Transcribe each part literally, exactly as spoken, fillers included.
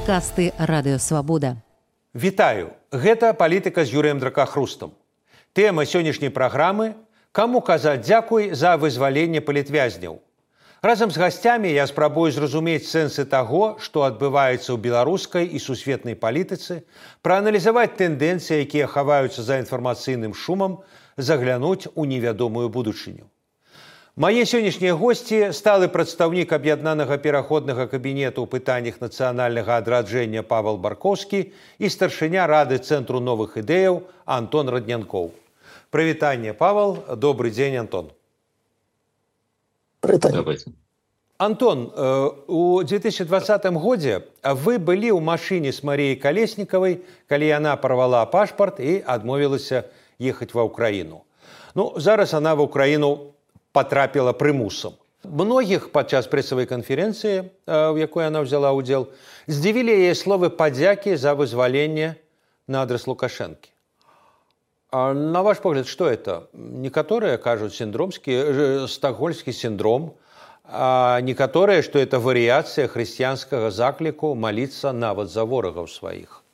Падкасты Радыёвабода. Вітаю, гэта палітыка з Юрыем Дракахрустам. Тэма сённяшняй праграмы – каму казаць дзякуй за вызваленне палітвязняў. Разам з гасцямі я спрабую зразумець сэнсы таго, што адбываецца ў беларускай і сусветнай палітыцы, прааналізаваць тэндэнцыі, якія хаваюцца за інфармацыйным шумам, заглянуць у невядомую будучыню. Мае сённяшнія госці – сталы прадстаўнік аб'яднанага пераходнага кабінету ў пытаннях нацыянальнага адраджэння Павел Баркоўскі і старшыня Рады Цэнтру новых ідэяў Антон Раднянкоў. Прывітанне, Павел. Добрый дзень, Антон. Прывітанне. Антон, у две тысячи двадцатым годзе вы былі ў машыне з Маріяй Калеснікавай, калі яна парвала пашпарт і адмовілася ехаць ва ўкраіну. Ну, зараз она ва ўкраіну потрапила прымусам. Многіх падчас прэсавай канферэнцыі, в якой она взяла ўдзел, здзівілі яе словы падзякі за вызваленне на адрес Лукашэнкі. А на ваш погляд, что это? Некаторыя кажуць синдромскі, стокгольмскі синдром, а некаторыя, что это варыяцыя хрысціянскага закліку маліцца нават за ворагаў сваіх.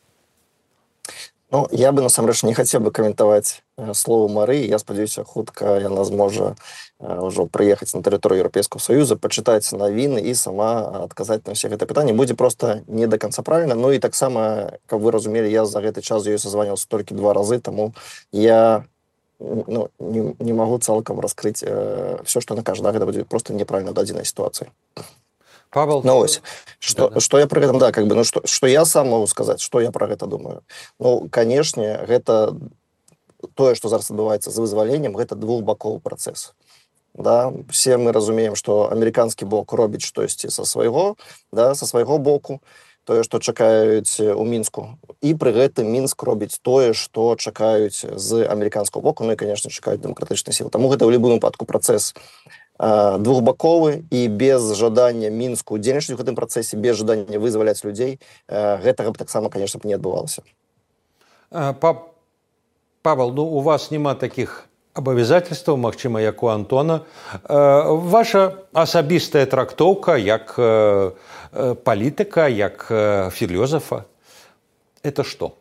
Ну, я бы, насамрэч, не хацеў бы каментаваць слово Марыі. Я спадзяюся, хутка яна зможа ўжо прыехаць на тэрыторыю Еўрапейскага Саюза, пачытаць навіны і сама адказаць на ўсе гэтыя пытанні. Будзе проста не да канца правільна. Ну і таксама, каб вы разумелі, я за гэты час з ёй созваніваўся толькі два разы, таму я ну, не, не магу цалкам раскрыць э, все, што она кажа. Да, гэта будзе проста неправільна дадзенай сітуацыі. Павел, ну, ось, что, да, да. что я про гэта, да, как бы, ну, что, что я сам могу сказать, что я про гэта думаю. Ну, конечно, гэта тое, что зараз адбываецца з вызваленнем, гэта двухбаковы працэс. Да? Все мы разумеем, что американскі бок робіць штосьці са свайго, да, са свайго боку, тое, што чакаюць у Мінску. І пры гэтым Мінск робіць тое, што чакаюць з амерыканскага боку, ну і, конечно, чакаюць дэмакратычныя сілы. Таму гэта ў любым выпадку працэс двухбаковы і без жадання Мінску удзельнічаць у гэтым працэсе, без жадання вызваляць людзей, гэтага б таксама, конечно, б не адбывалася. Павел, ну у вас няма такіх абавязательстваў, магчыма, як у Антона. Ваша асабістая трактоўка як палітыка, як філёзафа, это што?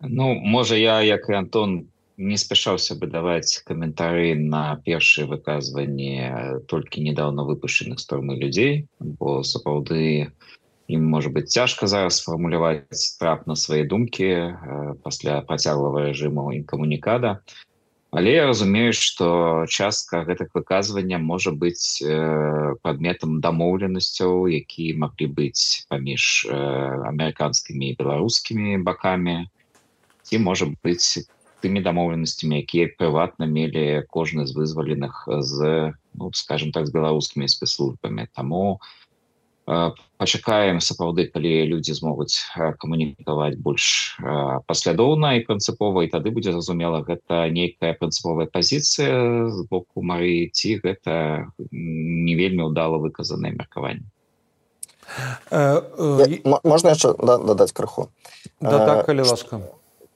Ну, можа, я, як і Антон, не спяшаўся бы даваць каментары на першыя выказванні толькі недаўна выпушчаных з турмы людзей, бо сапраўды ім можа быць цяжка зараз сфармуляваць трапна свае думкі э, пасля працяглага рэжыму інкамунікада. Але я разумею, што частка гэтых выказвання можа быць э, прадметам дамоўленасцяў, які маглі быць паміж э, амерыканскімі і беларускімі бакамі, ці можа быць тымі дамоўленасцямі, якія прыватна мелі кожны з вызваленых з, ну, скажем так, з беларускімі спецслужбамі. Таму э, пачакаем сапраўды, калі людзі змогуць камунікаваць больш э, паслядоўна і прынцыпова, і тады будзе зразумела, гэта нейкая прынцыповая пазіцыя з боку Марыі, ці гэта не вельмі ўдала выказанае меркаванне. Э, э, Можна яшчэ дадаць крыху? Да, так, калі ласка.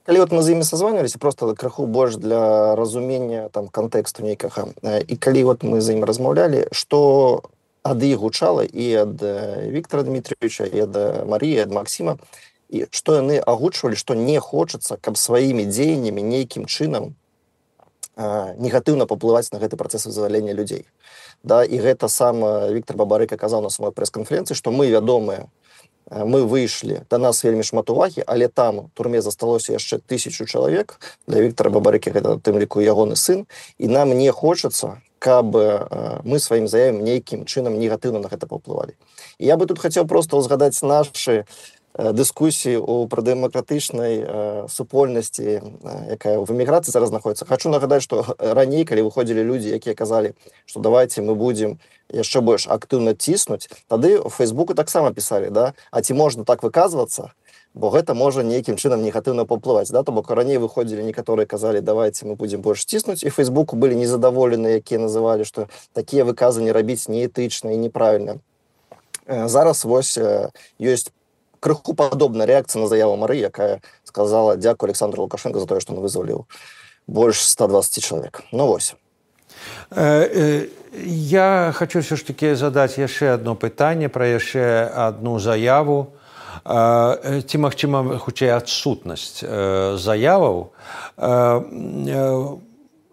Калі вот мы з імі созванивалися, просто крыху больш для разумення там кантэксту нейкага. І калі вот мы з ім размаўлялі, што ад іх гучала і ад Віктора Дмітриевича, і ад Маріі, ад Максіма, і што яны агучвалі, што не хочацца, каб сваімі дзеяннямі нейкім чынам а, негатыўна паплываць на гэты працэс вызвалення людзей. Да, і гэта сам Віктор Бабарыка казаў на самой прэс-канферэнцыі, што мы вядомыя, мы выйшлі, да нас вельмі шмат увагі, але там у турме засталося яшчэ тысячу чалавек, для Віктора Бабарыкі гэта тым ліку ягоны сын, і нам не хочацца, каб мы сваім заявам нейкім чынам негатыўна на гэта паўплывалі. І я бы тут хацеў проста ўзгадаць нашы дыскусіі ў прадэмакратычнай супольнасці, якая в эміграцыі зараз знаходіцца. Хачу нагадаць, што раней, калі выходзілі людзі, якія казалі, што давайте мы будзем яшчэ больш актыўна ціснуць, тады ў Фейсбуку таксама пісалі, да? А ці можна так выказвацца, бо гэта можа нейкім чынам негатыўна паўплываць. Да? То бок раней выходзілі некаторыя казалі, давайте мы будзем больш ціснуць, і Фейсбуку былі незадаволеныя, якія называлі, што такія выказанні рабіць неэтычна і неправільна. Зараз вось ёсць крыху падобная рэакцыя на заяву Марыі, якая сказала дзякую Александру Лукашенко за тое, што он вызваліў больш ста дваццаць чалавек. Ну вось. Я хочу все ж таки задаць яшчэ одно пытанне пра яшчэ одну заяву. Ці, магчыма, хутчэй адсутнасць заяваў.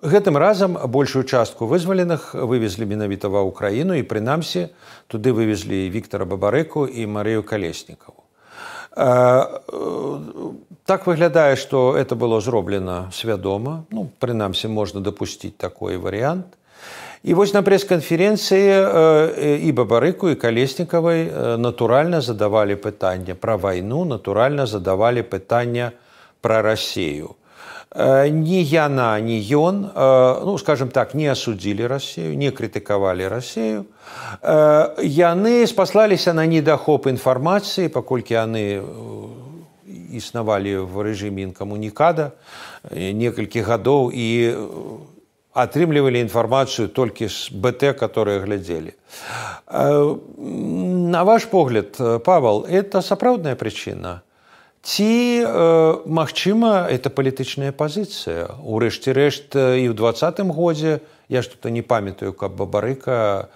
Гэтым разам большую частку вызваленых вывезлі менавіта ва ўкраіну, і прынамсі туды вывезлі Віктара Бабарыку і Марыю Калеснікаву. Так выглядае, што это было зроблена свядома. Ну, прынамсі, можна дапусціць такой варыянт. І вось на прэс-канферэнцыі і Бабарыку, і Калеснікавай натуральна задавалі пытанне пра вайну, натуральна задавалі пытанне пра Расею. Ні яна, ні ён, ну, скажем так, не асудзілі Расею, не крытыкавалі Расею. Яны спаслаліся на недахоп інфармацыі, паколькі яны існавалі в рэжыме інкамунікада некалькі гадоў і атрымлівалі інфармацыю толькі з БТ, которые глядзелі. На ваш погляд, Павел, это сапраўдная прычына? Ці, магчыма, это палітычная пазіцыя? Урэшце рэшт, і ў двадцатым годзе, я ж тут не памятаю, каб Бабарыка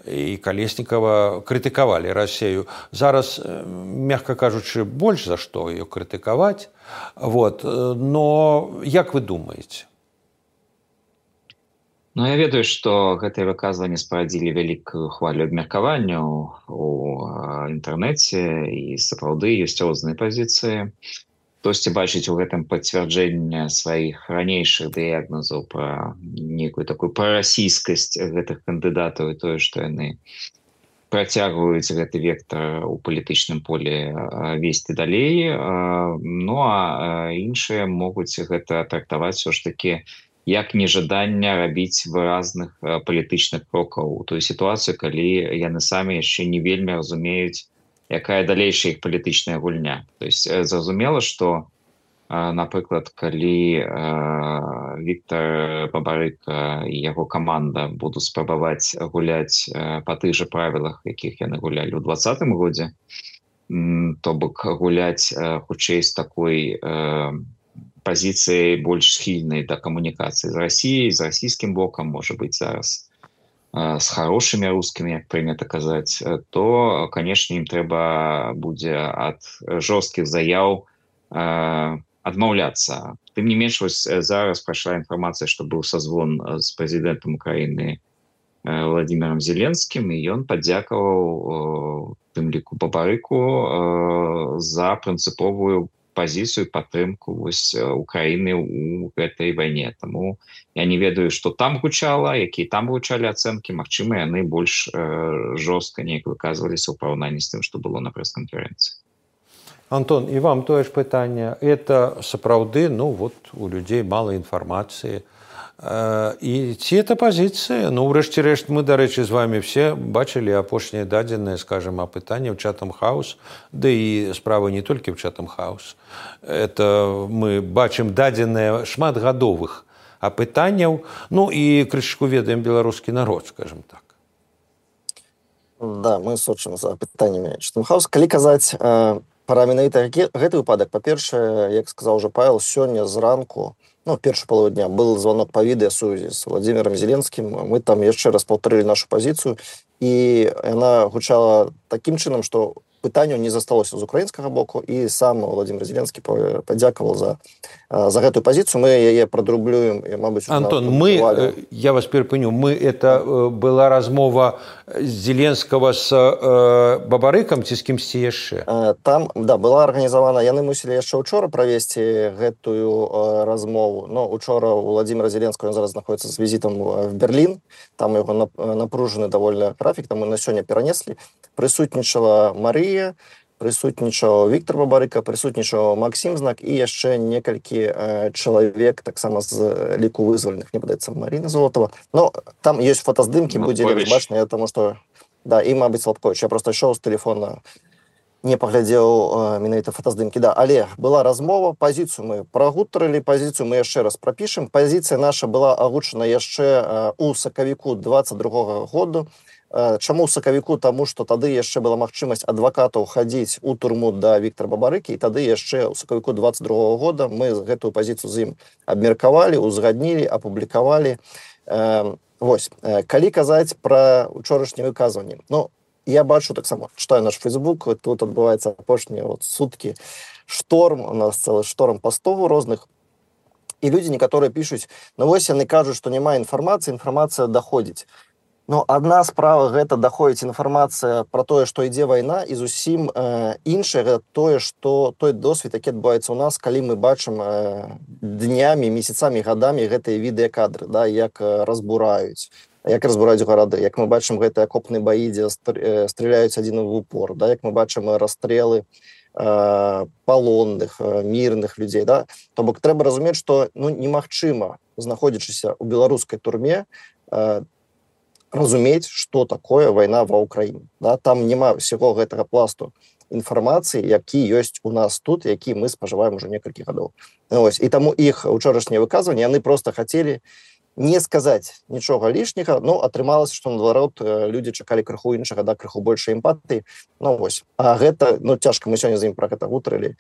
і Калеснікава крытыкавалі Расею. Зараз, мякка кажучы, больш за што ее крытыкаваць. Вот. Но як вы думаеце? Ну, я ведаю, што гэтыя выказванні спарадзілі вялікую хвалю абмеркавання ў інтэрнэце, і сапраўды ёсць розныя пазіцыі. Хтосьці бачыць у гэтым пацвярджэнне сваіх ранейшых дыягназаў пра некую такую прарасійскасць гэтых кандыдатаў і тое, што яны працягваюць гэты вектар у палітычным полі весці далей. Ну, а іншыя могуць гэта трактаваць усё ж такі як нежаданне рабіць выразных палітычных крокаў у той сітуацыі, калі яны самі яшчэ не вельмі разумеюць, якая далейшая іх палітычная гульня. То есть зразумела, што, напрыклад, калі Віктар Бабарыка і яго каманда будуць спрабаваць гуляць па тых жа правілах, якіх яны гулялі ў двадцатым годзе, то бок гуляць хутчэй з такой пазіцыяй больш схільнай да камунікацыі з Расіяй, з расійскім бокам, можа быць, зараз з хорошымі рускімі, як прынята казаць, то, канешне, ім трэба будзе ад жорсткіх заяў адмаўляцца. Тым не менш, вось зараз прайшла інфармацыя, што быў сазвон з прэзідэнтам Украіны Владимиром Зеленскім, і ён падзякаваў, тым ліку Бабарыку, за прынцыповую пазіцыю, падтрымку вось Украіны ў гэтай вайне. Таму я не ведаю, што там гучала, якія там гучалі ацэнкі. Магчыма, яны больш жорстка неяк выказваліся ў параўнанні з тым, што было на прэс-канферэнцыі. Антон, і вам тое ж пытанне. Это сапраўды, ну вот, у людзей мала інфармацыі. І ці это пазіцыя? Ну, ўрэшце рэшт, мы, дарэчы, з вами все бачылі апошнія дадзеныя, скажем, апытанне ў Chatham House, да і справа не толькі ў Chatham House. Это мы бачым дадзеныя шматгадовых апытанняў, ну і крышку ведаем беларускі народ, скажем так. Да, мы сочым за апытаннямі Chatham House. Калі казаць э, пра менавіта гэты выпадак, па-першае, як сказаў уже Павел, сёння зранку, ну, першую полову дня был звонок по відэасувязі з Владимиром Зеленским. Мы там яшчэ раз паўтарылі нашу пазіцыю, і яна гучала такім чынам, што пытанняў не засталося з украінскага боку, і сам Владимир Зеленскі падзякаваў за, за гэтую пазіцыю. Мы яе прадрублюем, і, мабыць, Антон, мы, я вас перапыню, мы, это была размова Зеленскага з э, Бабарыкам ці з кімсьці яшчэ? Там, да, была арганізавана, яны мусілі яшчэ учора правесці гэтую э, размову, но учора у Владимира Зеленского, ён зараз знаходіцца з візітам в Берлін, там яго напружаны даволі графік, там мы на сёння перанеслі. Прысутнічала Марыя, прысутнічаў Віктор Бабарыка, прысутнічаў Максім Знак і яшчэ некалькі э, чалавек, таксама з ліку вызваленых, мне падаецца, Марина Золотова. Но там ёсць фотаздымкі, будзе бачна, таму што, да, і, мабыць, Слабкович. Я просто ішоў з тэлефона, не паглядзеў э, менавіта фотаздымкі. Да, але была размова, пазіцыю мы прагутарылі, пазіцыю мы яшчэ раз прапішам. Пазіцыя наша была агучана яшчэ э, у сакавіку двадцать другога году. Чаму ў сакавіку? Таму што тады яшчэ была магчымасць адвакатаў хадзіць у турму да Віктара Бабарыкі, і тады яшчэ ў сакавіку двадцать другога года мы гэтую пазіцыю з ім абмеркавалі, узгаднілі, апублікавалі. Вось калі казаць пра учорашнія выказванні, ну я бачу таксама, читаю наш Фейсбук, тут адбываецца апошнія вот суткі шторм, у нас цэлы шторм пастов розных, і людзі некаторыя пішуць, ну вось яны кажуць, што няма інфармацыі, інфармацыя даходзіць. Ну, адна справа гэта даходзіць інфармацыя пра тое, што ідзе вайна, і зусім э, іншае гэта тое, што той досвед, які адбываецца ў нас, калі мы бачым э, днямі, месяцамі, гадамі гэтыя відэакадры, да, як э, разбураюць, як разбураюць гарады, як мы бачым гэтыя акопныя баі, дзе стреляюць адзін в упор, да, як мы бачым расстрелы э, палонных, э, мірных людзей. Да? То бок трэба разумець, што ну, немагчыма, знаходзячыся ў беларускай турме, э, разумець, што такое вайна ва ўкраіне. Да? Там няма ўсяго гэтага пласту інфармацыі, які ёсць у нас тут, які мы спажываем ужо некалькі гадоў. Ось. І таму іх учорашнія выказванні, яны проста хацелі не сказаць нічога лішняга, но атрымалася, што наадварот людзі чакалі крыху іншага, да, крыху большай эмпатыі. Ну, вось. А гэта, ну, цяжка, мы сёння з ім пра гэта гутарылі,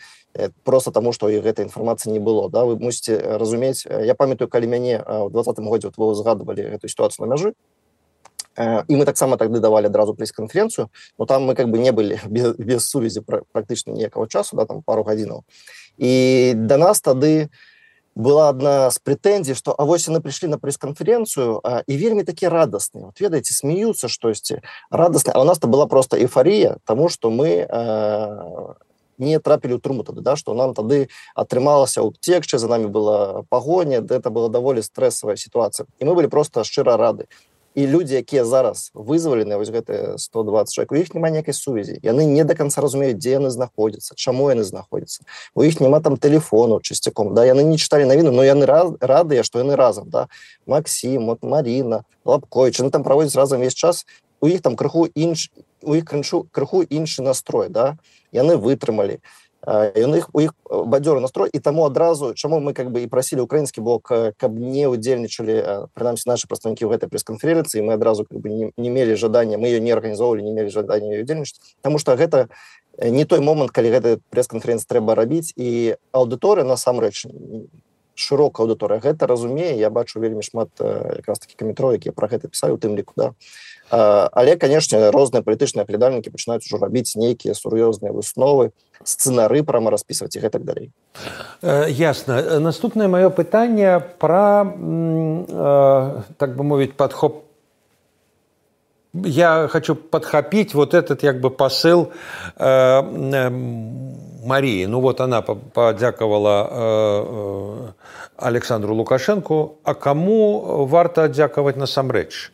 проста таму, што і гэтай інфармацыі не было. Да? Вы мусіце разумець, я памятаю, калі мяне ў двадцатым годзе вот, вы згадывалі гэту сітуацыю на мяжы, і мы таксама тады давалі адразу прэс-канферэнцыю, но там мы как бы не былі без, без сувязі практычна ніякага часу, да, там пару гадзінаў. І да нас тады была адна з прэтэнзій, што а вось яны прыйшлі на прэс-канферэнцыю а, і вельмі такі радасныя. Вот ведаеце, смеюцца штосьці радасныя, а у нас-то была проста эйфарія, таму што мы а, не трапілі ў турму тады, да, што нам тады атрымалася ўцекчы, за намі была пагоня, гэта была даволі стрэсавая сітуацыя. І мы былі проста шчыра рады. І людзі, якія зараз вызвалены, вось гэтыя сто дваццаць чалавек, у іх няма ніякай сувязі. Яны не да канца разумеюць, дзе яны знаходзяцца, чаму яны знаходзяцца. У іх няма там тэлефону часцяком, да, яны не чыталі навіну, но яны радыя, што яны разам, да. Максім, вот Маріна, Лапковіч, яны там праводзяць разам весь час. У іх там крыху інш, у іх крыху, крыху іншы настрой, да. Яны вытрымалі. У іх, у іх бадзёры настрой, і таму адразу, чаму мы как бы і прасілі украінскі бок, каб не удзельнічалі, прынамсі нашы прадстаўнікі ў гэтай прэс-канферэнцыі, мы адразу как бы не, не мелі жадання, мы ее не арганізоўвалі, не мелі жадання удзельнічаць, таму што гэта не той момант, калі гэта прэс-канферэнцыя трэба рабіць, і аўдыторыя насамрэч шырокая аўдыторыя гэта разумее. Я бачу вельмі шмат якраз такі каментараў, якія пра гэта пісалі, у тым ліку, да. Але, канешне, розныя палітычныя аглядальнікі пачынаюць ужо рабіць нейкія сур'ёзныя высновы, сцэнары прама распісваць і гэтак далей. Ясна. Наступнае маё пытанне пра, так бы мовіць, падхоп. Я хочу подхопить вот этот как бы посыл э, э, Марии. Ну вот она поддяковала э, Александру Лукашенко. А кому варто отдяковать насамрэч?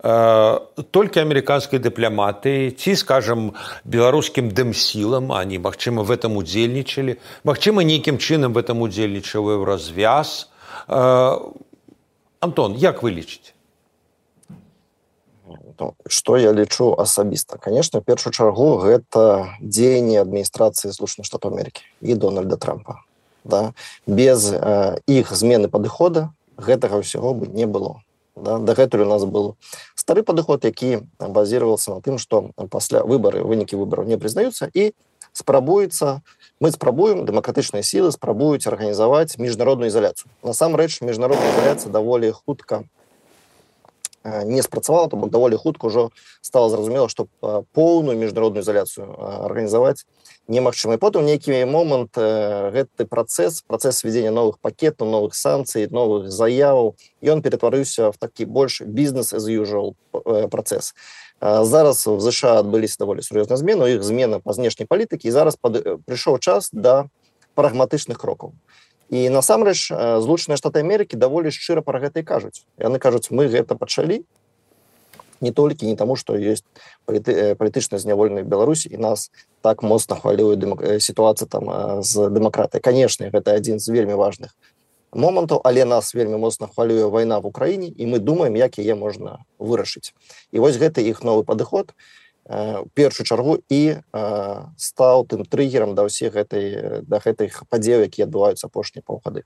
Э, только американские дипломаты, ці, скажем, белорусским дэмсилам, они, магчыма, в этом удзельнічалі, магчыма, нейкім чынам в этом удзельнічалі ў развяз. Э, Антон, як вы лічыце? Што я лічу асабіста? Конечно, в першую чаргу гэта дзеянне адміністрацыі Злучаных Штатаў Амерыкі і Дональда Трампа. Да? Без э, іх змены падыхода гэтага ўсяго бы не было. Да? Дагэтуль у нас был стары падыход, які базировался на тым, што пасля выбары, вынікі выбараў не прызнаюцца і спрабуецца, мы спрабуем, дэмакратычныя сілы спрабуюць арганізаваць міжнародную ізаляцыю. Насамрэч, міжнародная ізаляцыя даволі хутка не спрацавала, то бок даволі хутка ўжо стала зразумела, што поўную міжнародную ізаляцыю арганізаваць немагчыма. І потым нейкі момант гэты працэс, працэс введзення новых пакетаў, новых санкцый, новых заяваў, ён ператварыўся в такі больш business as usual працэс. Зараз в ЗША адбыліся даволі сур'ёзныя змены, у іх змена па знешняй палітыкі, і зараз пад... прыйшоў час да прагматычных крокаў. І насамрэч Злучаныя Штаты Амерыкі даволі шчыра пра гэта і кажуць. Яны кажуць, мы гэта пачалі не толькі не таму, што ёсць паліты... палітычна зняволеныя в Беларусі, і нас так моцна хвалюе дэмак... сітуацыя там з дэмакратыяй. Канешне, гэта адзін з вельмі важных момантаў, але нас вельмі моцна хвалюе вайна в Украіне, і мы думаем, як яе можна вырашыць. І вось гэта іх новы падыход у першую чаргу і э, стаў тым трыгерам да ўсіх гэтай, да гэтых падзеяў, якія адбываюцца апошнія паўгады.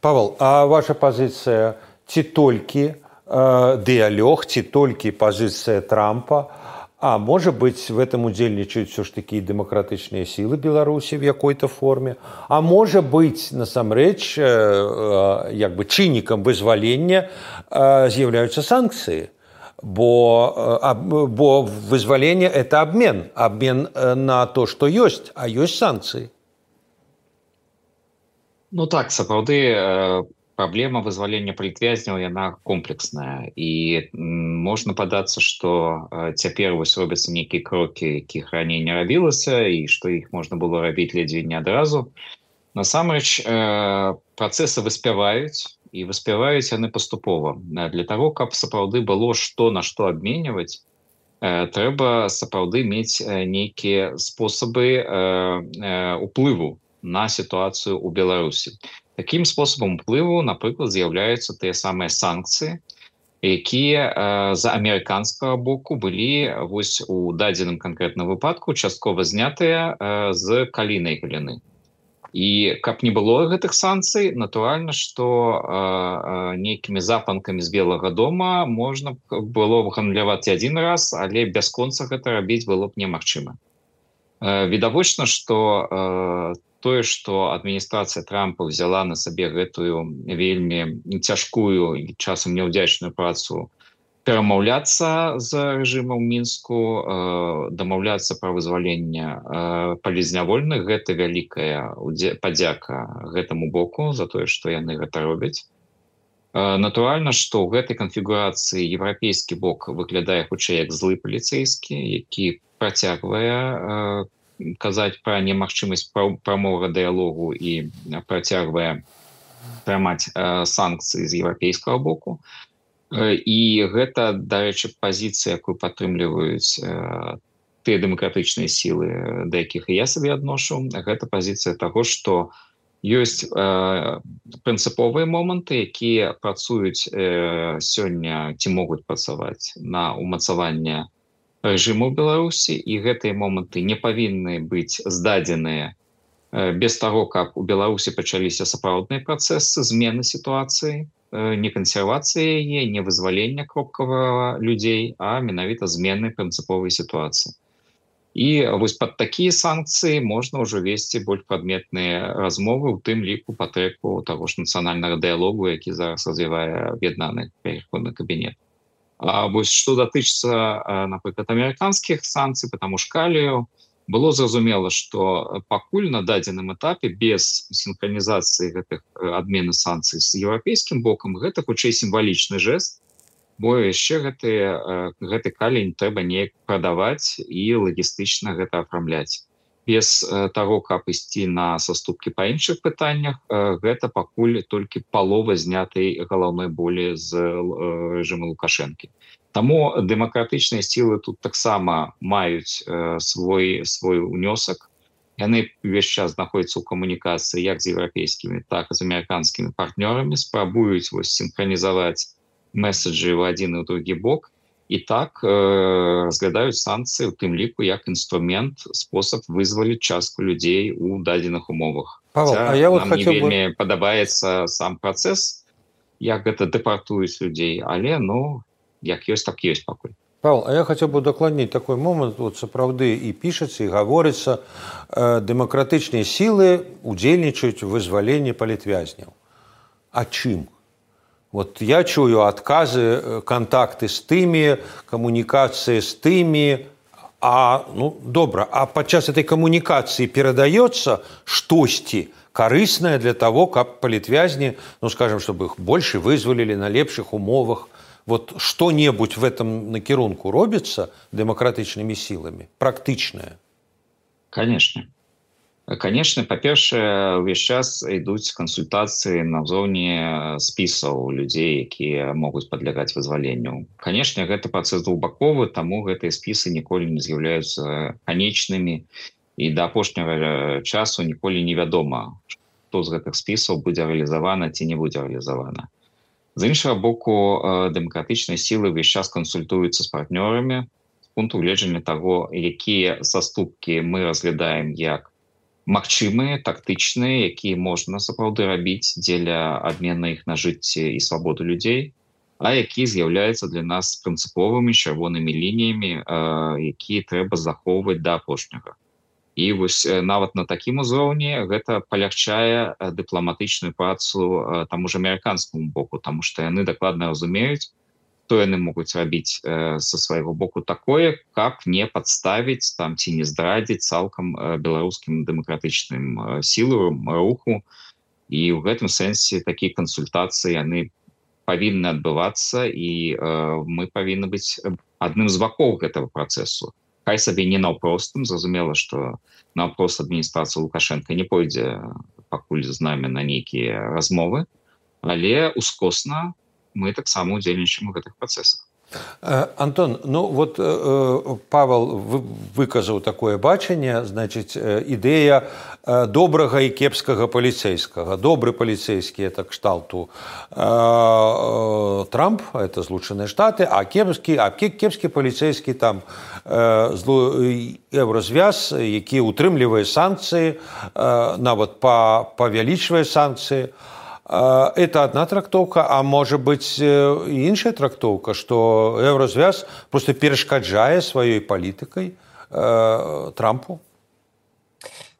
Павел, а ваша пазіцыя ці толькі э, дыялог, ці толькі пазіцыя Трампа, А может быть, в этом удзельнічаюць все ж таки демократичные силы Беларуси в какой-то форме. А может быть, насамрэч, як бы чыннікам вызвалення з'яўляюцца санкции. Бо, бо вызваление – это обмен. Обмен на то, что есть, а есть санкции. Ну так, сапраўды, праблема вызвалення палітвязняў, яна комплексная. І можна падацца, што цяпер вось робяцца нейкія крокі, якіх раней не рабілася, і што іх можна было рабіць ледзьве не адразу. Насамрэч, працэсы выспяваюць, і выспяваюць яны паступова. Для таго, каб сапраўды было што на што абменьваць, трэба сапраўды мець нейкія спосабы уплыву на сітуацыю ў Беларусі. Такім спосабам уплыву, напрыклад, з'яўляюцца тыя самыя санкцыі, якія з амерыканскага боку былі вось у дадзеным канкрэтным выпадку часткова знятыя з калійнай галіны. І каб не было гэтых санкцый, натуральна, што нейкімі запанкамі з Белага дома можна было б гандляваць адзін раз, але бясконца гэта рабіць было б немагчыма. Відавочна, што тое, што адміністрацыя Трампа взяла на сабе гэтую вельмі цяжкую і часам няўдзячную працу перамаўляцца з рэжымам Мінску, дамаўляцца пра вызваленне палізнявольных, гэта вялікая падзяка гэтаму боку за тое, што яны гэта робяць. Натуральна, што ў гэтай канфігурацыі еўрапейскі бок выглядае хутчэй як злы паліцэйскі, які працягвае казаць пра немагчымасць прамога дыялогу і працягвае прымаць санкцыі з еўрапейскага боку. І гэта, дарэчы, пазіцыя, якую падтрымліваюць тыя дэмакратычныя сілы, да якіх і я сабе адношу, гэта пазіцыя таго, што ёсць прынцыповыя моманты, якія працуюць сёння ці могуць працаваць на ўмацаванне рэжыму ў Беларусі, і гэтыя моманты не павінны быць здадзеныя без таго, каб у Беларусі пачаліся сапраўдныя працэсы змены сітуацыі, не кансервацыя яе, не вызвалення кропкавага людзей, а менавіта змены прынцыповай сітуацыі. І вось пад такія санкцыі можна ўжо весці больш прадметныя размовы, у тым ліку па трэку таго ж нацыянальнага дыялогу, які зараз развівае аб'яднаны пераходны кабінет. А вось што датычыцца, напрыклад, амерыканскіх санкцый па таму ж калію, было зразумела, што пакуль на дадзеным этапе без сінхранізацыі гэтых адмены санкцый з еўрапейскім бокам, гэта хутчэй сімвалічны жэст, бо яшчэ гэты, гэты калій трэба неяк прадаваць і лагістычна гэта афармляць. Без таго, каб ісці на саступкі па іншых пытаннях, гэта пакуль толькі палова знятай галаўной болі з рэжыму Лукашэнкі. Таму дэмакратычныя сілы тут таксама маюць свой, свой унёсак. Яны ўвесь час знаходзяцца ў камунікацыі як з еўрапейскімі, так і з амерыканскімі партнёрамі, спрабуюць вось сінхранізаваць меседжы ў адзін і ў другі бок, і так э, разглядаюць санкцыі, у тым ліку як інструмент, спосаб вызваліць частку людзей у дадзеных умовах. Павел, а я вот нам не вельмі бы... падабаецца сам працэс, як гэта дэпартуюць людзей, але, ну, як ёсць, так ёсць пакуль. Павел, а я хотел бы удакладніць такой момент, вот сапраўды і пішацца, і гаворыцца, э, дэмакратычныя сілы удзельнічаюць у вызваленні палітвязняў. А чым? Вот я чую отказы, контакты с теми, коммуникации с теми, а, ну, добра, а подчас этой коммуникации передается штосьці корыстное для того, как палітвязни, ну, скажем, чтобы их больше вызволили на лепших умовах. Вот что-нибудь в этом накірунку робится демократичными силами, практичное? Конечно. Конечно, па-першае, увесь час ідуць кансультацыі на ўзроўні спісаў людзей, якія могуць падлягаць вызваленню. Канешне, гэта працэс двухбаковы, таму гэтыя спісы ніколі не з'яўляюцца канечнымі, і да апошняга часу ніколі невядома, што з гэтых спісаў будзе рэалізавана ці не будзе рэалізавана. З іншага боку, дэмакратычныя сілы ўвесь час кансультуюцца з партнёрамі з пункту гледжання таго, якія саступкі мы разглядаем як магчымыя, тактычныя, якія можна сапраўды рабіць дзеля абмена іх на жыцці і свабоду людзей, а які з'яўляюцца для нас прынцыповымі чырвонымі лініямі, якія трэба захоўваць да апошняга. І вось нават на такім узроўні гэта палягчае дыпламатычную працу таму ж амерыканскаму боку, таму што яны дакладна разумеюць, што яны могуць рабіць са свайго боку такое, каб не падставіць там ці не здрадзіць цалкам беларускім дэмакратычным сілам руху. І ў гэтым сэнсе такія кансультацыі яны павінны адбывацца, і мы павінны быць адным з бакоў гэтага працэсу. Хай сабе не наўпростым, зразумела, што наўпрост адміністрацыя Лукашенка не пойдзе пакуль з намі на нейкія размовы, але ускосна мы таксама удзельнічаем у гэтых працэсах. Антон, ну вот Павел выказаў такое бачанне, значыць, ідэя добрага і кепскага паліцейскага. Добры паліцейскі – это кшталту Трамп, это Злучаныя Штаты, а кепскі, а кепскі паліцейскі там Еўразвяз, які утрымлівае санкцыі, нават павялічвае санкцыі. Это одна трактовка, а может быть и иншая трактовка, что Еврозвяз просто перешкаджае своей политикой э, Трампу?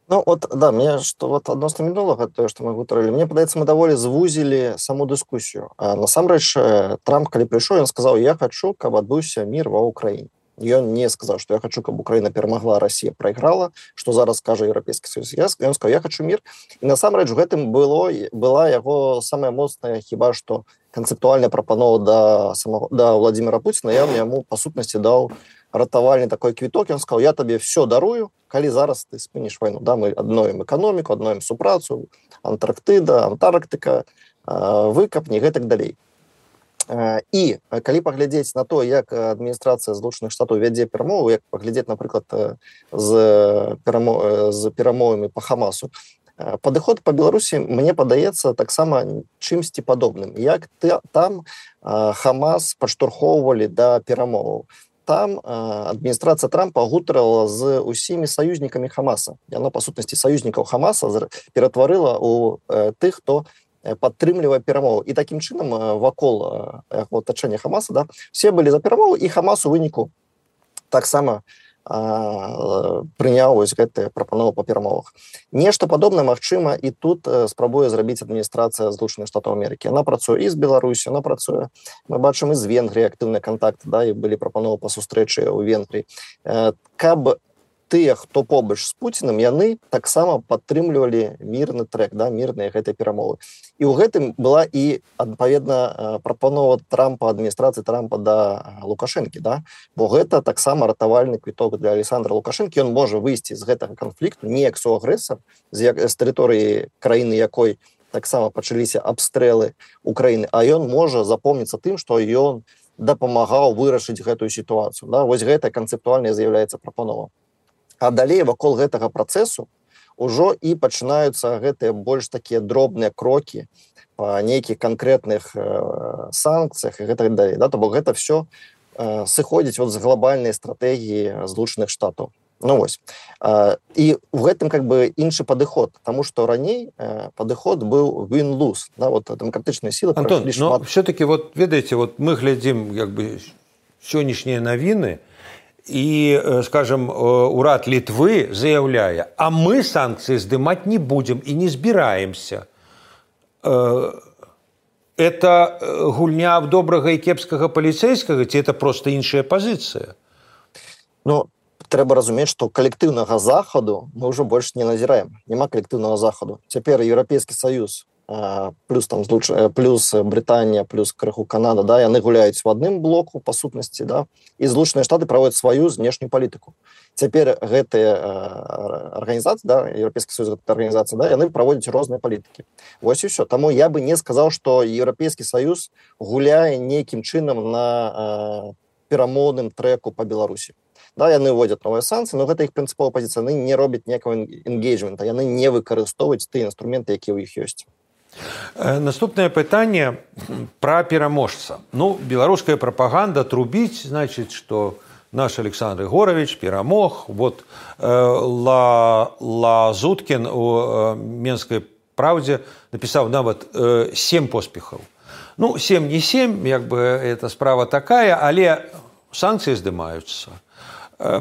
Ну, вот, да, мне что вот адносна мінулага, тое, што мы гутарылі, мне падаецца, мы даволі звузілі саму дыскусію. А насамрэч, Трамп, калі прыйшоў, ён сказаў, я хочу, каб адбыўся мір ва Ўкраіне. Ён не сказаў, што я хочу, каб Украіна перамагла, Расія прайграла, што зараз кажа Еўрапейскі Саюз. Ён сказаў, я хочу мір. І насамрэч у гэтым было, была яго самая моцная, хіба што канцэптуальная прапанова да, самого, да Владзіміра Пуціна. Я яму, па сутнасці, даў ратавальны такой квіток. Ён сказаў, я табе все дарую, калі зараз ты спыніш вайну. Да, мы адновім эканоміку, адновім супрацу, Антарктыда, Антарктыка, выкап, не гэтак далей. І калі паглядзець на то, як адміністрацыя Злучаных Штатаў вядзе перамовы, як паглядзець, напрыклад, з, перамо... з перамовамі па Хамасу, падыход па Беларусі, мне падаецца таксама чымсьці падобным. Як там Хамас падштурхоўвалі да перамоваў. Там адміністрацыя Трампа гутарыла з усімі саюзнікамі Хамаса. Яна, па сутнасці, саюзнікаў Хамаса ператварыла ў тых, хто падтрымлівае перамову. І такім чынам вакол атачэння Хамаса, да, все былі за перамову, і Хамас у выніку таксама прыняў вось гэтыя прапановы па перамовах. Нешта падобнае магчыма і тут спрабуе зрабіць адміністрацыя Злучаных Штатаў Амерыкі. Яна працуе і з Беларусі, яна працуе, мы бачым, і з Венгрыі актыўныя кантакты, да, і былі прапановы па сустрэчы ў Венгрыі. Каб тыя, хто побач з Пуцінам, яны таксама падтрымлівалі мірны трэк, да, мірныя гэтыя перамовы. І ў гэтым была і, адпаведна, прапанова Трампа, адміністрацыі Трампа да Лукашэнкі, да? Бо гэта таксама ратавальны квіток для Александра Лукашэнкі. Ён можа выйсці з гэтага канфлікту не як суагрэсар, з, з тэрыторыі краіны, якой таксама пачаліся абстрэлы Украіны, а ён можа запомніцца тым, што ён дапамагаў вырашыць гэтую сітуацыю. Да? Вось гэта канцэптуальна з'яўляецца прапанова. А далей вакол гэтага працэсу ўжо і пачынаюцца гэтыя больш такія дробныя крокі па нейкіх канкрэтных э, санкцыях і гэтак далей. Да? То бок гэта все э, сыходзіць вот з глобальнай стратэгіі Злучаных Штатаў. Ну вось. Э, і ў гэтым как бы іншы падыход, таму што раней э, падыход быў win-lose. Да? Вот дэмакратычныя сілы... Антон, но шмат... все-таки вот, ведаеце, вот мы глядзім як бы сённяшнія навіны, и, скажем, урад Литвы заяўляе, а мы санкции сдымать не будем и не збираемся. Это гульня в добрага и кепскага паліцейскага, ці это просто іншая позиция? Ну, трэба разумець, што калектыўнага захаду мы ўжо больш не назіраем. Няма калектыўнага захаду. Цяпер Еўрапейскі Саюз плюс там плюс Брытанія, плюс крыху Канада, да, яны гуляюць в адным блоку па сутнасці, да, і Злучаныя Штаты праводзяць сваю знешнюю палітыку. Цяпер гэтыя арганізацыі, да, Еўрапейскі Саюз, гэта арганізацыя, да, яны праводзяць розныя палітыкі. Вось і ўсё. Таму я бы не сказаў, што Еўрапейскі Саюз гуляе нейкім чынам на перамоўным трэку па Беларусі. Да, яны вводзяць новыя санкцыі, но гэта іх прынцыповая пазіцыя. Яны не робяць ніякага энгейджмента, яны не выкарыстоўваюць тыя інструменты, якія ў іх ёсць. Наступное пытанне про пераможца. Ну, беларуская прапаганда трубіць, значит, что наш Александр Егорович перамог. Вот э, Ла, Лазуткін у э, Менскай правдзе напісаў нават э, сем поспехаў. Ну, сем не сем, як бы эта справа такая, але санкцыі здымаюцца.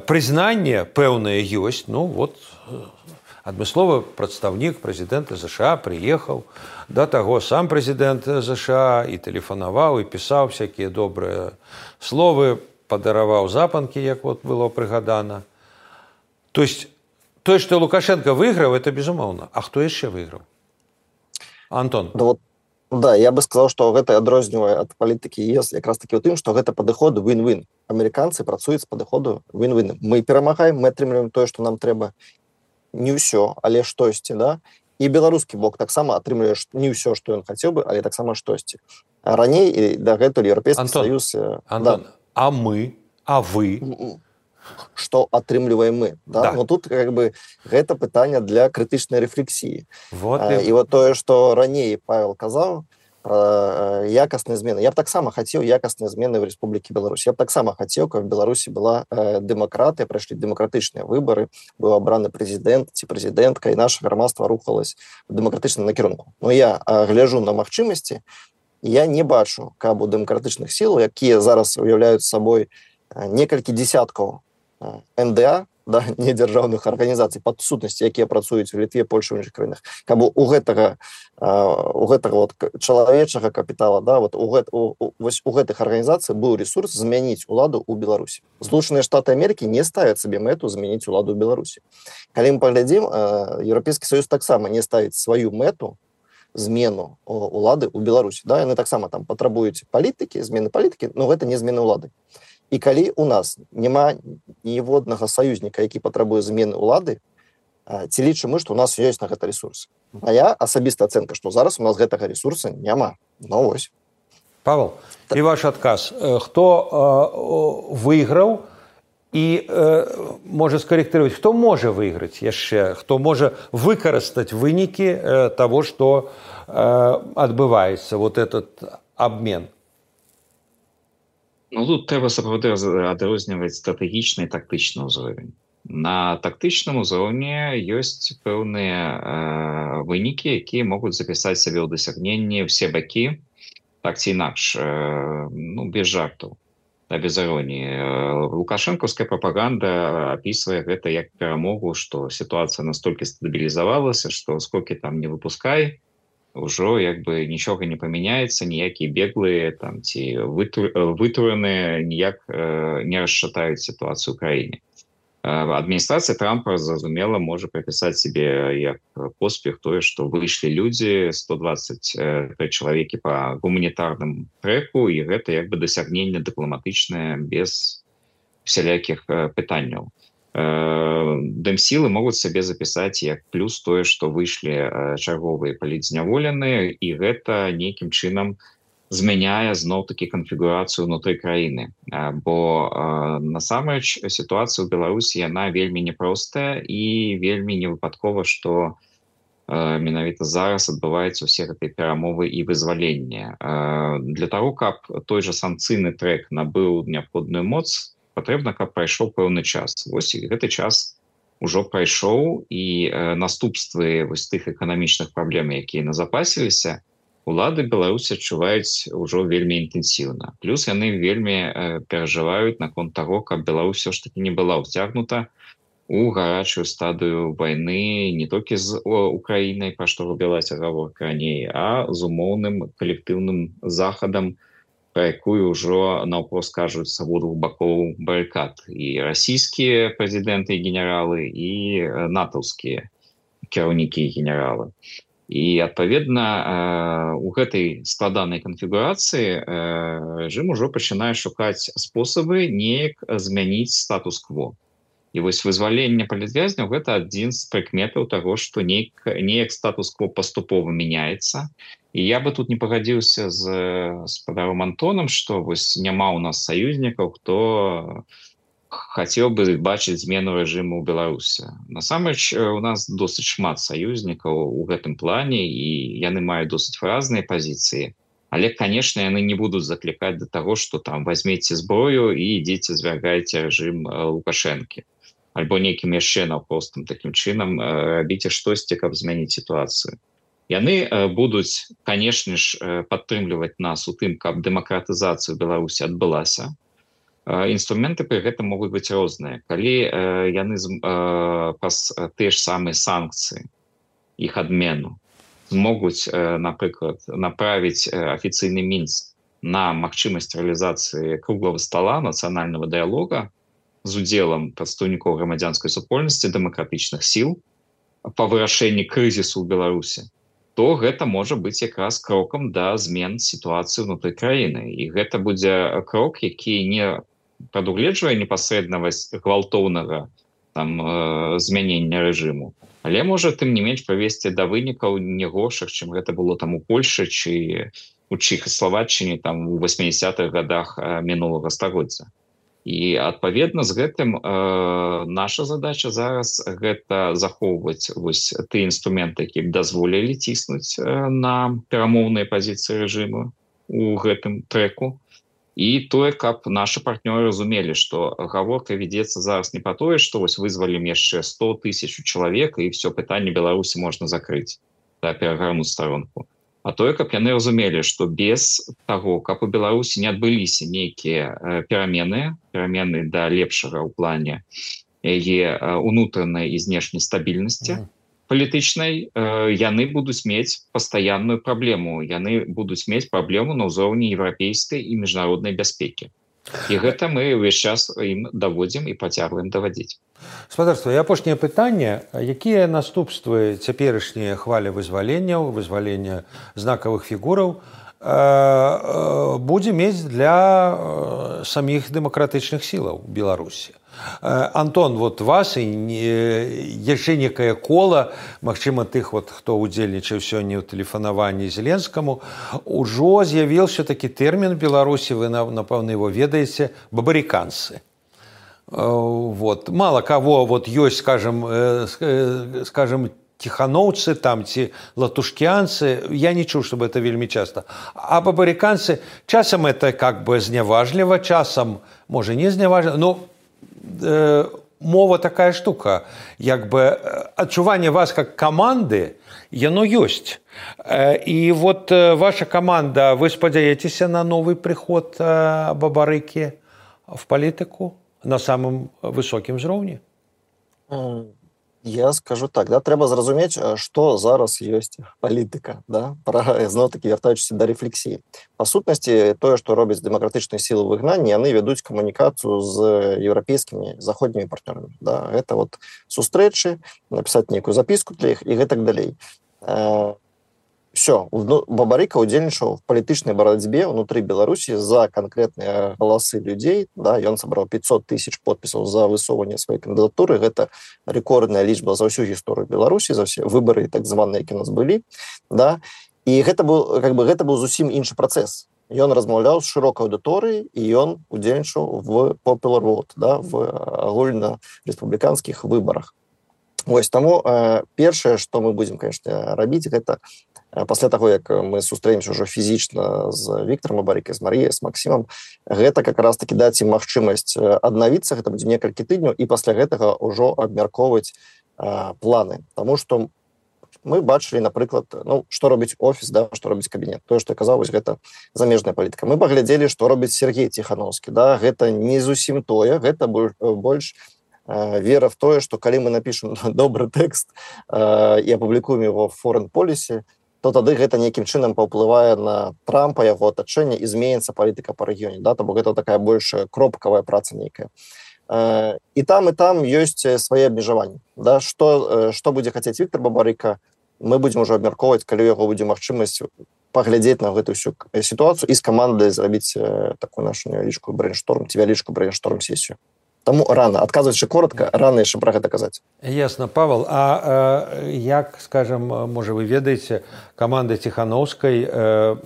Прызнанне пэўнае ёсць, ну вот адмысловы прадстаўнік прэзідэнта ЗША прыехаў, да таго сам прэзідэнт ЗША і тэлефанаваў, і пісаў всякія добрыя словы, падараваў запанкі, як вот было прыгадана. То есть, тое, што Лукашенко выйграў, это безумоўна. А хто яшчэ выйграў? Антон. Да, вот, да, я бы сказал, что гэта адрознівае ад палітыкі ЕС якраз таки у тым, што гэта падыход win-win. Амерыканцы працуюць з падыходу win-win. Мы перамагаем, мы атрымліваем тое, што нам трэба. Не ўсё, але штосьці, да? І беларускі бок таксама атрымлівае не ўсё, што ён хацеў бы, але таксама штосьці. А раней і дагэтуль Еўрапейскі Саюз... Антон, да. А мы, а вы... Што атрымліваем мы. Да? Да. Но тут как бы гэта пытанне для крытычнай рэфлексіі. Вот а, і вот тое, што раней Павел казаў пра якасныя змены. Я б таксама хацеў якасныя змены в Рэспублікі Беларусь. Я б таксама хацеў, каб в Беларусі была э, дэмакратыя, прайшлі дэмакратычныя выбары, быў абраны прэзідэнт ці прэзідэнтка, і наша грамадства рухалось в дэмакратычным накірунку. Но я э, гляжу на магчымасці, і я не бачу, каб у дэмакратычных сілаў, якія зараз уяўляюць сабой э, некалькі дзесяткаў эн дэ а, да, недзяржаўных арганізацый пад сутнасці, якія працуюць у Літве, Польшы, у іншых краінах, каб у гэтага, у гэтага вот чалавечага капітала, да, вот у, гэт, у, у, у гэтых арганізацый быў ресурс змяніць уладу ў Беларусі. Злучаныя Штаты Амерыкі не ставяць сабе мэту змяніць уладу ў Беларусі. Калі мы паглядзім, Еўрапейскі Саюз таксама не ставіць сваю мэту змену улады ў Беларусі. Да? Яны таксама там патрабуюць палітыкі, змены палітыкі, но гэта не змены ўлады. І калі у нас няма ніводнага саюзніка, які патрабуе змены ўлады, ці лічым мы, што у нас ёсць на гэта ресурсы. Мая асабістая ацэнка, што зараз у нас гэтага ресурса няма. Ну вось. Павел, так. І ваш адказ. Хто э, выйграў і э, можа скарэктыраваць, хто можа выйграць яшчэ, хто можа выкарыстаць вынікі э, таго, што э, адбываецца, вот этот абмен? Ну, тут трэба сапраўды адрозніваць стратэгічны і тактычны ўзровень. На тактычным узроўні ёсць пэўныя э, вынікі, якія могуць запісаць сабе ў дасягненні ўсе бакі, так ці інакш, э, ну, без жартаў, да, без іроніі. Лукашэнкаўская прапаганда апісвае гэта як перамогу, што сітуацыя настолькі стабілізавалася, што сколькі там не выпускай, ўжо як бы нічога не памяняецца, ніякія беглыя там ці вытураныя ніяк э, не расшатаюць сітуацыю ў краіне. Э, адміністрацыя Трампа, зразумела, можа прыпісаць себе як поспех тое, што выйшлі людзі, сто дваццаць тры чалавекі па гуманітарным трэку, і гэта як бы дасягненне дыпламатычнае без усялякіх э, пытанняў. Дэмсілы могуць сабе запісаць як плюс тое, што выйшлі чарговыя палітзняволеныя, і гэта нейкім чынам змяняе зноў-такі канфігурацыю ўнутры краіны. Бо насамрэч сітуацыя ў Беларусі, яна вельмі няпростая і вельмі невыпадкова, што менавіта зараз адбываюцца ўсе гэтыя перамовы і вызваленне. Для таго, каб той жа санкцыйны трэк набыў неабходную моц, патрэбна, каб прайшоў пэўны час. Вось гэты час ужо прайшоў, і э, наступствы вось тых эканамічных праблем, якія назапасіліся, улады Беларусі адчуваюць ужо вельмі інтэнсіўна. Плюс яны вельмі э, перажываюць наконт таго, каб Беларусь все ж таки не была ўцягнута у гарачую стадыю вайны не толькі з Украінай, пра што робілася гаворка раней, а з умоўным калектыўным захадам, пра якую ўжо наўпрост кажуць з абодвух бакоў барыкад. І расійскія прэзідэнты і генералы, і натаўскія кіраўнікі і генералы. І, адпаведна, у гэтай складанай канфігурацыі рэжым ужо пачынае шукаць спосабы неяк змяніць статус-кво. І вось вызваленне палітвязняў — гэта адзін з прыкметаў таго, што неяк, неяк статус-кво паступова мяняецца. І я бы тут не пагадзіўся з спадаром Антонам, што вось няма ў нас саюзнікаў, хто хацеў бы бачыць змену рэжыму ў Беларусі. Насамрэч, у нас досыць шмат саюзнікаў у гэтым плане, і яны маюць досыць разныя пазіцыі. Але, канешне, яны не будуць заклікаць да таго, што там возьмеце зброю і ідзеце звяргайце рэжым Лукашэнкі. Альбо нейкім яшчэ наўпростым такім чынам рабіце штосьці, каб змяніць сітуацыю. Яны будуць, канешне ж, падтрымліваць нас у тым, каб дэмакратызацыя ў Беларусі адбылася. Інструменты пры гэтым могуць быць розныя. Калі яны праз тыя ж самыя санкцыі, іх адмену, змогуць, напрыклад, направіць афіцыйны Мінск на магчымасць рэалізацыі круглага стала нацыянальнага дыялога з удзелам прадстаўнікоў грамадзянскай супольнасці, дэмакратычных сіл па вырашэнні крызісу ў Беларусі, то гэта можа быць якраз крокам да змен сітуацыі ўнутры краіны. І гэта будзе крок, які не прадугледжвае непасрэднасць гвалтоўнага там змянення рэжыму, але можа тым не менш прывесці да вынікаў не горшых, чым гэта было там у Польшы ці у Чэхаславаччыне там у восьмідзесятых гадах мінулага стагоддзя. І адпаведна з гэтым э, наша задача зараз гэта захоўваць вось тыя інструменты, які дазволілі ціснуць э, на перамоўныя пазіцыі рэжыму у гэтым трэку. І тое, каб нашы партнёры разумелі, што гаворка вядзецца зараз не па тое, што вось вызвалім яшчэ сто тысяч чалавек і ўсё пытанне Беларусі можна закрыць, да, перагарнуць старонку. А тое, каб яны разумелі, што без таго, каб у Беларусі не адбыліся нейкія перамены, перамены да лепшага ў плане яе унутранай і знешняй стабільнасці палітычнай, яны будуць мець пастаянную праблему. Яны будуць мець праблему на ўзроўні еўрапейскай і міжнароднай бяспекі. І гэта мы ўвесь час ім даводзім і працягваем даводзіць. Спадарства, і апошняе пытанне, якія наступствы цяперашнія хвалі вызваленняў, вызвалення знакавых фігураў будзе мець для саміх дэмакратычных сілаў Беларусі? Антон, вот вас і яшчэ некае кола, магчыма, тых, вот, хто ўдзельнічаў сёння ў тэлефанаванні Зеленскаму, ужо з'явіўся такі тэрмін в Беларусі, вы, напэўна, его ведаеце, бабарыканцы. Вот. Мало кого вот есть, скажем, скажем, тихановцы там, ці латушкианцы, я не чуў, чтобы это вельмі часто. А бабарыканцы, часам это как бы зняважліва, часам, може, не зняважліва, но э, мова такая штука, як бы адчуванне вас как команды, яно ёсць. И вот ваша команда, вы спадзяецеся на новый приход Бабарыкі в политику на самом высокім узроўні? Я скажу так, да, трэба зразумець, што зараз ёсць палітыка, да, пра, зноў-такі вяртаючыся да рэфлексіі. Па сутнасці, тое, што робяць дэмакратычныя сілы выгнання, яны вядуць камунікацыю з еўрапейскімі заходнімі партнёрамі. Да. Гэта вот сустрэчы, напісаць нейкую запіску для іх і гэтак далей. Все, Бабарыка удзельнічаў в палітычнай барацьбе ўнутры Беларусі за канкрэтныя галасы людзей, да, ён сабраў пятьсот тысяч подпісаў за высоўванне сваёй кандыдатуры, гэта рэкордная лічба за ўсю гісторыю Беларусі, за ўсе выбары так званыя, які у нас былі, да, і гэта быў, как бы, гэта быў зусім іншы працэс. Ён размаўляў з шырокай аўдыторыяй і ён удзельнічаў в popular vote, да, в агульнарэспубліканскіх выбарах. Вось, таму э, першае, што мы будзем, конечно, рабіць, гэта пасля таго, як мы сустрэнемся ўжо фізічна з Віктарам Бабарыкай, з Марыяй, з Максімам, гэта как раз-таки даць ім магчымасць аднавіцца, гэта будзе некалькі тыдняў, і пасля гэтага ўжо абмяркоўваць э, планы. Таму што мы бачылі, напрыклад, ну, што робіць офіс, да, што робіць кабінет. Тое, што я казаў, вось гэта замежная палітыка. Мы паглядзелі, што робіць Сергей Ціхановскі. Да, гэта не зусім тое, гэта больш вера в тое, што калі мы напішем добры тэкст э, і апублікуем его в foreign policy, то тады гэта нейкім чынам паўплывае на Трампа, яго атачэнне, і зменіцца палітыка па рэгіёне. Да? Таму гэта такая больш кропкавая праца нейкая. Э, і там, і там ёсць свае абмежаванні. Да? Што, што будзе хацець Віктар Бабарыка, мы будзем ужо абмяркоўваць, калі у яго будзе магчымасць паглядзець на гэтую всю сітуацыю і з камандай зрабіць такую нашу невялічкую брейншторм, ці вялічкую брейншторм-сесію. Таму рано, адказваючы коротка, рано яшчэ пра гэта казаць. Ясна, Павел, а э, як, скажем, можа, вы ведаеце, каманда Ціхановскай э,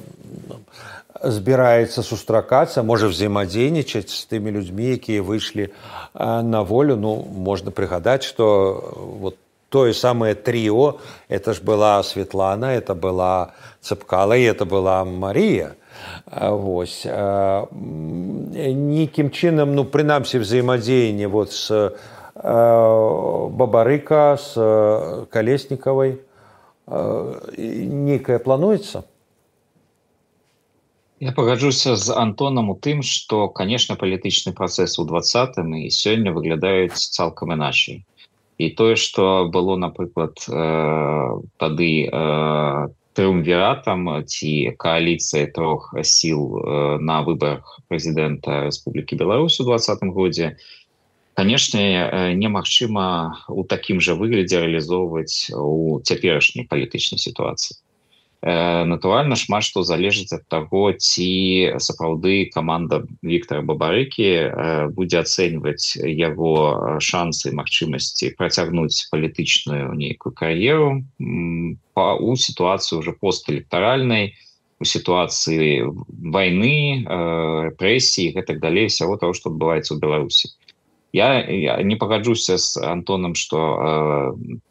збіраецца сустракацца, можа взаимадзейнічаць з тымі людзьмі, якія выйшлі э, на волю. Ну, можна прыгадаць, што вот тое самае тріо, это ж была Светлана, это была Цепкала, и это была Мария. Вось. Нейкім чынам, ну, прынамсі, взаимодзеянне вот с Бабарыка, с Колесниковой, нейкае плануецца? Я пагаджуся з Антонам у тым, што, канешне, палітычны працэс у двадцатым і сёння выглядаюць цалкам іначай. І тое, што было, напрыклад, тады трыумвіратам ці кааліцыяй трох сіл на выбарах прэзідэнта Рэспублікі Беларусь у двадцатым годзе, канешне, немагчыма ў такім жа выглядзе рэалізоўваць у цяперашняй палітычнай сітуацыі. Натуральна, шмат што залежыць ад таго, ці сапраўды каманда Віктара Бабарыкі будзе ацэньваць яго шансы і магчымасці працягнуць палітычную нейкую кар'еру у сітуацыі ўжо постэлектаральнай, у сітуацыі вайны, рэпрэсій і гэтак далей, усяго таго, што адбываецца ў Беларусі. Я, я не пагаджуся з Антонам, што э,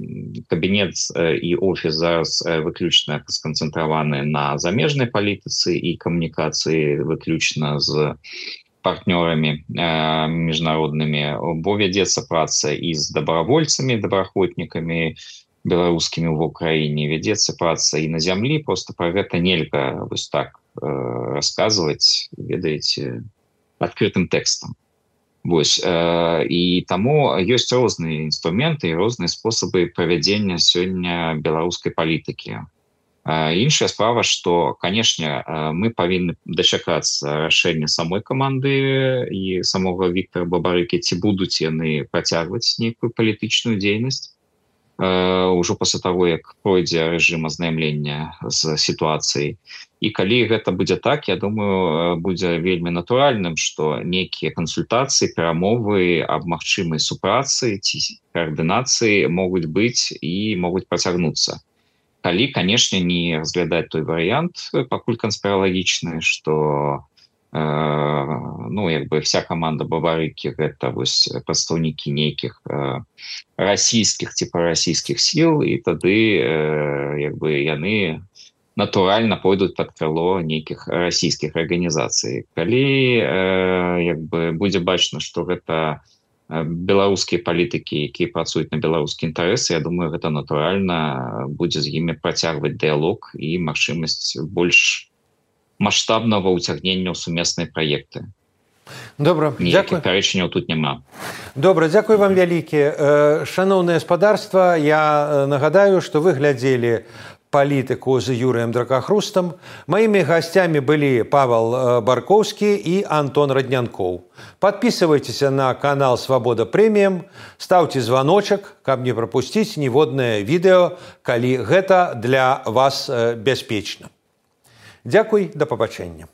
кабінет і офіс зараз выключна сканцэнтраваны на замежнай палітыцы і камунікацыі выключна з партнёрамі э, міжнароднымі, бо вядзецца праца і з добравольцамі, добраахвотнікамі беларускімі ў Украіне, вядзецца праца і на зямлі, просто пра гэта нельга вось так э, расказваць, ведаеце, адкрытым тэкстам. Вось, э, і таму ёсць розныя інструменты і розныя спосабы правядзення сёння беларускай палітыкі. Э, іншая справа, што, канешне, э, мы павінны дачакацца рашэння самой каманды і самога Віктара Бабарыкі, ці будуць яны працягваць нейкую палітычную дзейнасць э, ўжо пасля таго, як пройдзе рэжым азнаямлення з сітуацыяй. І калі гэта будзе так, я думаю, будзе вельмі натуральным, што нейкія кансультацыі, перамовы аб магчымай супрацы ці каардынацыі могуць быць і могуць працягнуцца. Калі, канешне, не разглядаць той варыянт, пакуль канспіралагічны, што э, ну, як бы вся каманда Бабарыкі гэта вось прадстаўнікі нейкіх э, расійскіх ці прарасійскіх сіл, і тады э, як бы яны натуральна пойдуць пад крыло нейкіх расійскіх арганізацый. Калі э, як бы будзе бачна, што гэта беларускія палітыкі, якія працуюць на беларускія інтарэсы, я думаю, гэта натуральна будзе з імі працягваць дыялог і магчымасць больш маштабнага ўцягнення ў сумесныя праекты. Добра, ніякіх пярэчанняў тут няма. Добра, дзякуй вам вялікі. Шаноўнае гаспадарства, я нагадаю, што вы глядзелі палітыку з Юрыем Дракахрустам. Маімі гасцямі былі Павел Баркоўскі і Антон Раднянкоў. Подписывайтеся на канал Свабода Прэміум, ставьте званочак, каб не прапусціць ніводнае відэо, калі гэта для вас бяспечна. Дзякуй, да пабачэння.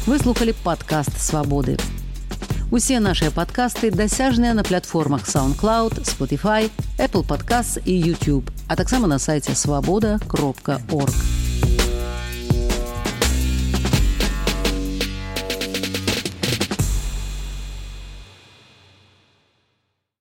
Вы слухали падкаст «Свабоды». Усе нашыя падкасты дасяжныя на платформах SoundCloud, Spotify, Apple Podcasts і YouTube, а таксама на сайце свабода кропка орг.